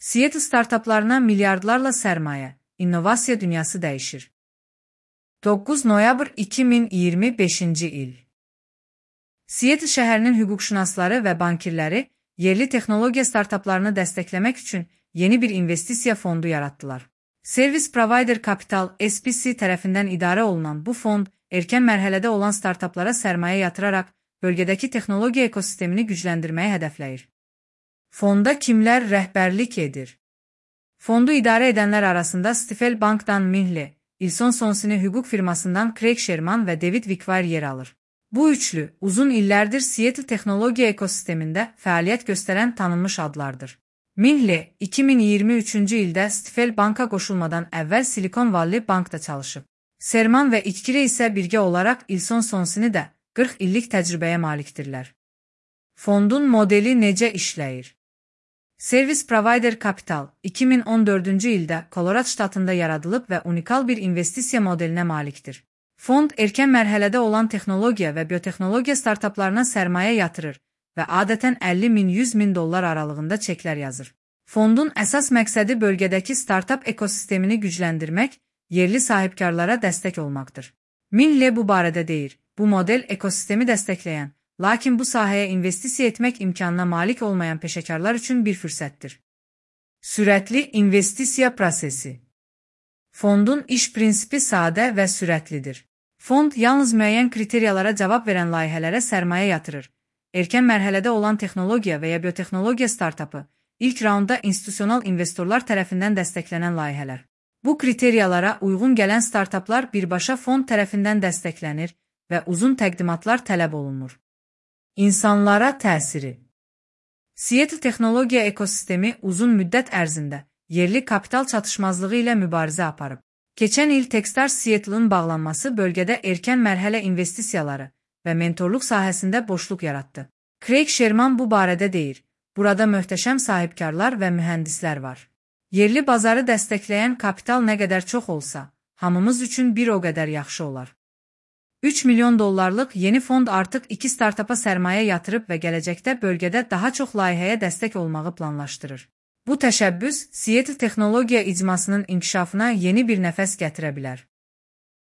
Seattle startaplarına milyardlarla sərmayə, innovasiya dünyası dəyişir. 9 noyabr 2025-ci il. Seattle şəhərinin hüquqşünasları və bankirləri yerli texnologiya startaplarını dəstəkləmək üçün yeni bir investisiya fondu yaratdılar. Service Provider Capital (SPC) tərəfindən idarə olunan bu fond, erkən mərhələdə olan startaplara sərmayə yatıraraq bölgədəki texnologiya ekosistemini gücləndirməyi hədəfləyir. Fonda kimlər rəhbərlik edir? Fondu idarə edənlər arasında Stifel Bank'dan Minhle, Ilson Sonsini hüquq firmasından Craig Sherman və David Wickwire yer alır. Bu üçlü, uzun illərdir Seattle texnologiya ekosistemində fəaliyyət göstərən tanınmış adlardır. Minhle, 2023-cü ildə Stifel Bank'a qoşulmadan əvvəl Silicon Valley Bank'da çalışıb. Sherman və Wickwire isə birgə olaraq Ilson Sonsini də 40 illik təcrübəyə malikdirlər. Fondun modeli necə işləyir? Service Provider Capital 2014-cü ildə Colorado ştatında yaradılıb və unikal bir investisiya modelinə malikdir. Fond erkən mərhələdə olan texnologiya və biotexnologiya startaplarına sərmayə yatırır və adətən 50 min $100 min aralığında çeklər yazır. Fondun əsas məqsədi bölgədəki startap ekosistemini gücləndirmək, yerli sahibkarlara dəstək olmaqdır. Minhle bu barədə deyir, bu model ekosistemi dəstəkləyən, lakin bu sahəyə investisiya etmək imkanına malik olmayan peşəkarlar üçün bir fürsətdir. Sürətli investisiya prosesi. Fondun iş prinsipi sadə və sürətlidir. Fond yalnız müəyyən kriteriyalara cavab verən layihələrə sərmayə yatırır. Erkən mərhələdə olan texnologiya və ya biotexnologiya startapı, ilk raundda institusional investorlar tərəfindən dəstəklənən layihələr. Bu kriteriyalara uyğun gələn startaplar birbaşa fond tərəfindən dəstəklənir və uzun təqdimatlar tələb olunur. İnsanlara təsiri. Seattle texnologiya ekosistemi uzun müddət ərzində yerli kapital çatışmazlığı ilə mübarizə aparıb. Keçən il Techstars Seattle'ın bağlanması bölgədə erkən mərhələ investisiyaları və mentorluq sahəsində boşluq yaratdı. Craig Sherman bu barədə deyir, burada möhtəşəm sahibkarlar və mühəndislər var. Yerli bazarı dəstəkləyən kapital nə qədər çox olsa, hamımız üçün bir o qədər yaxşı olar. $3 milyon yeni fond artıq 2 startapa sərmayə yatırıb və gələcəkdə bölgədə daha çox layihəyə dəstək olmağı planlaşdırır. Bu təşəbbüs Seattle texnologiya icmasının inkişafına yeni bir nəfəs gətirə bilər.